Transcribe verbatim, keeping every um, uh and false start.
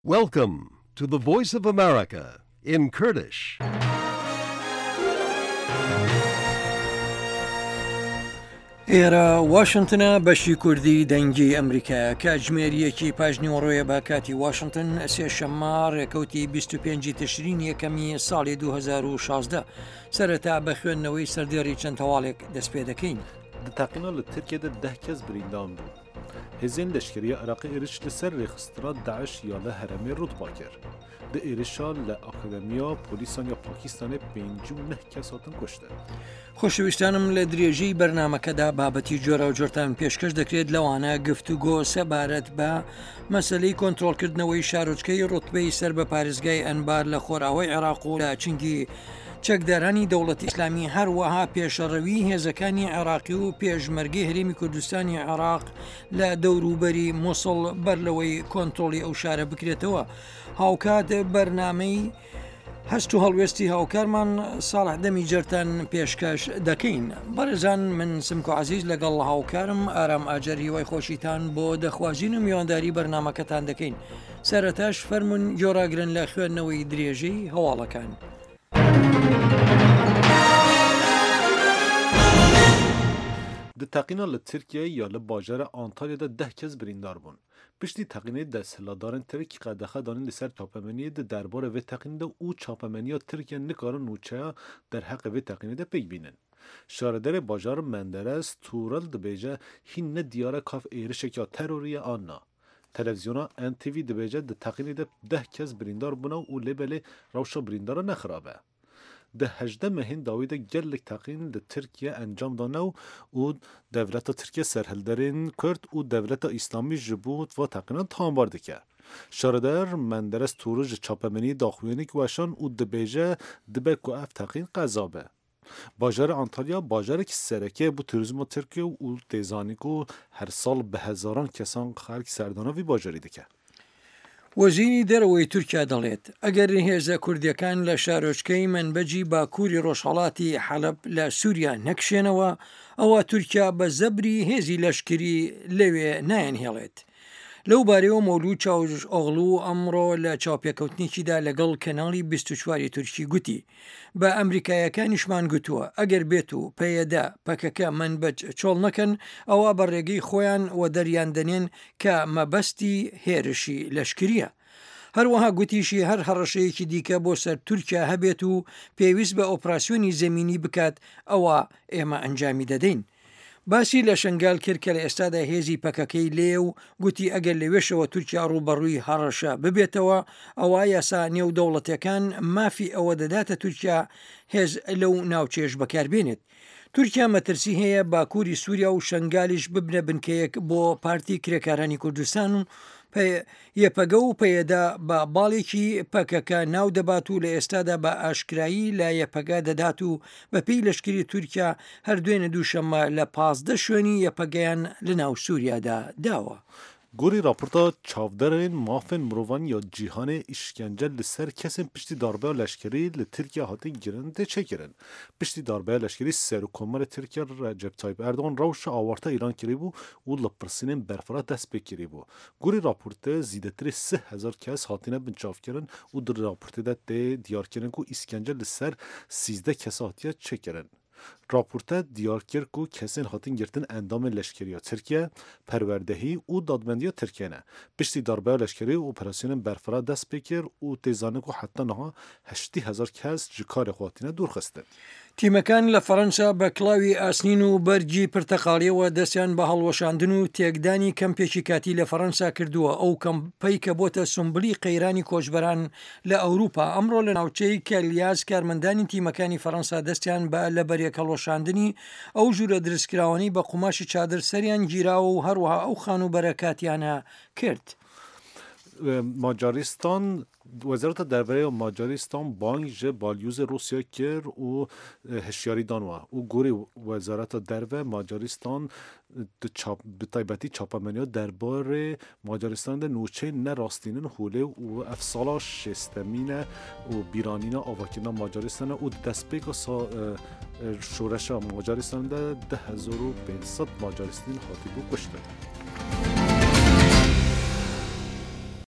Welcome to the Voice of America in Kurdish. ئێرە واشنتنە بەشی کوردی دەنگی ئەمریکایە کاتژمێر یەکی پاش نیوەڕۆیە بە کاتی واشنتن سێشەممە ڕێکەوتی بیست و پێنج تشرین یەکەمی ساڵی دوو هەزار و شازدە. سەرەتا بە خوێندنەوەی سەردێڕی چەند هەواڵێک دەست پێ دەکەین. Di teqîna li Tirkiyê de deh kes birîndan bûn. Hêzên leşkeriya Iraqê êriş li ser rêxistina Daeş ya li herêmê rûtba kir. Di êrişa li Akademiya Polîsan ya Pakistanê pêncî û neh kes hatin kuştin. خۆشەویستانم لە درێژەی بەرنامەکەدا بابەتی جۆراوجۆرتان پێشکەش دەکرێت لەوانە گفتوگۆ سەبارەت بە مەسلەی کۆنترۆڵکردنەوەی شارۆچکەی ڕوتبەی سەر بە پارێزگای ئەنبار لە خۆراوای عێراق و لە چنگی چەکدارانی دەوڵەتی ئیسلامی، هەروەها پێشەڕەوی هێزەکانی عێراقی و پێشمەرگەی هەرێمی کوردستانی عێراق لە دەوروبەری موسڵ بەر لەوەی کۆنترۆڵی ئەو شارە بکرێتەوە. هاوکات بەرنامەی هەست و هەڵوێستی هاوکارمان ساڵح دەمی جەرتان پێشکەش دەکەین. بەڕێزان من سمکۆ عەزیز لەگەڵ هاوکارم ئارام ئاجەر هیوای خۆشیتان بۆ دەخوازین و میوانداری بەرنامەکەتان دەکەین. سەرەتاش فەرمونون گۆڕاگرن لە خوێندنەوەی درێژەی هەواڵەکان. Di teqîna li Tirkiyeyê ya li bajara Antalya de deh kes birîndar bûn. Piştî teqînê desthilatdarên Tirk qedexe danîn li ser çapemeniyê di derbarê vê teqînê de û çapemeniya Tirkiye nikarin nûçeya derheqê vê teqînê de pêk bînin. Şaredarê bajar Menderes Tural dibêje hîn ne diyar e ka êrişek ya terorî ye an na. Televizyona N T V dibêje di teqînê de deh kes birîndar bûne û lê belê rewşa birîndara nexirab e. Di hejdeh mehên dawî de gelek teqîn li Tirkiye encam dane û û dewleta Tirkiye serhilderên Kurd û dewleta İslamî ji bo va teqînan tawanbar dike. Şaredar Menderes Tural ji çapemeniyê daxuyanî weşand û dibêje dibe ku ev teqîn qeza be. Bajarê Antalya bajarek sereke bo turizma Tirkiye û tê zanîn ku her sal bi hezaran kesan xelk serdana vî bajarî dike. وەزیری دەرەوەی تورکیا دەڵێت ئەگەر هێزە کوردیەکان لە شارۆچکەی منبەجی باکووری ڕۆژهەڵاتی حەلەب لە سووریا نەکشێنەوە، ئەوە تورکیا بە زەبری هێزی لەشکری لەوێ نایەنهێڵێت. لەو بارەیەوە مەولود چاوش ئۆغڵو ئەمڕۆ لە چاوپێکەوتنێکیدا لەگەڵ کەناڵی بیست و چواری تورکی گوتی بە ئەمریکایەکانیشمان گوتووە ئەگەر بێت و پەیەدە پەکەکە منبەج چۆڵ نەکەن ئەوە بە ڕێگەی خۆیان وەدەریان دەنێن کە مەبەستی هێرشی لەشکریە. هەروەها گوتیشی هەر هەڕەشەیەکی دیکە بۆ سەر تورکیا هەبێت و پێویست بە ئۆپراسیۆنی زەمینی بکات ئەوە ئێمە ئەنجامی دەدەین. باسی لە شنگال کرد کە لە ئێستادا هێزی پەکەکەی لێ و گوتی ئەگەر لەوێشەوە تورکیا ڕووبەڕووی هەڕەشە ببێتەوە ئەوە یاسا نێودەوڵەتەکان مافی ئەوە دەداتە تورکیا هێز لەو ناوچێش بەکاربێنێت. تورکیا مەترسی هەیە باکووری سووریا و شنگالیش ببنە بنکەیەک بۆ پارتی کرێکارانی کوردستان و یەپەگە و پەیەدا بە باڵێکی پەکەکە ناو دەبات و لە ئێستادا بە ئاشکرایی لە یەپەگە دەدات و بەپێی لەشکری تورکیا هەر دوێنێ دووشەممە لە پازدە شوێنی یەپەگەیان لە ناو سووریادا داوە. Gorî raporta çavderên mafên mirovan ya cîhanê îşkence li ser kesên piştî darbeya leşkerî li Tirkiye hatin kirin tê çêkirin. Piştî darbeya leşkerî Serokkomarê Tirkiye Recep Tayyip Erdoğan rewşa awarta îlan kiribû û li pirsînên berfireh dest pê kiribû. Gorî raportê zêdetirê sih hezar kes hatine binçavkirin û di raportê de tê diyarkirin ku îşkence li ser sîzdeh kes hatiye çêkirin. Raporte diyar kir ku kesên hatin girtin endamên leşkeriya Tirkiye, perwerdehî û dadmendiya Tirkiye ne. Piştî darbeya leşkerî operasyonên berfireh dest pê kir û tê zanîn ku heta niha heştî hezar kes ji karê xwe hatine dûrxistin. تیمەکان لە فەرەنسا بە کڵاوی ئاسنین و بەرگی پرتەقاڵیەوە دەستیان بە هەڵوەشاندن و تێکدانی کەمپێکی کاتی لە فەرەنسا کردووە. ئەو کەمپەی کە بۆتە سمبلی قەیرانی کۆچبەران لە ئەوروپا ئەمڕۆ لە ناوچەی کەلیاز کارمەندانی تیمەکانی فەرەنسا دەستیان بە لەبەرێک هەڵوەشاندنی ئەو ژوورە درستکراوانەی بە قوماشی چادر سەریان گیراوە و هەروەها ئەو خانووبەرە کاتیانە کرد. ماجاریستان وەزارەتە دەرەوەی ماجاریستان بانگ ji balyozê Rûsya kir û hişyarî dan we û gorî wezareta derve Macaristan bi taybetî çapemeniya derbarê Macaristanê de nûçeyên nerastînin holê û ev sala şêstemîn e û bîranîna avakirina Macaristanê û destpêka şoreşa Macaristanê de du hezar û pênc sed Macaristîn hatibû kuştin.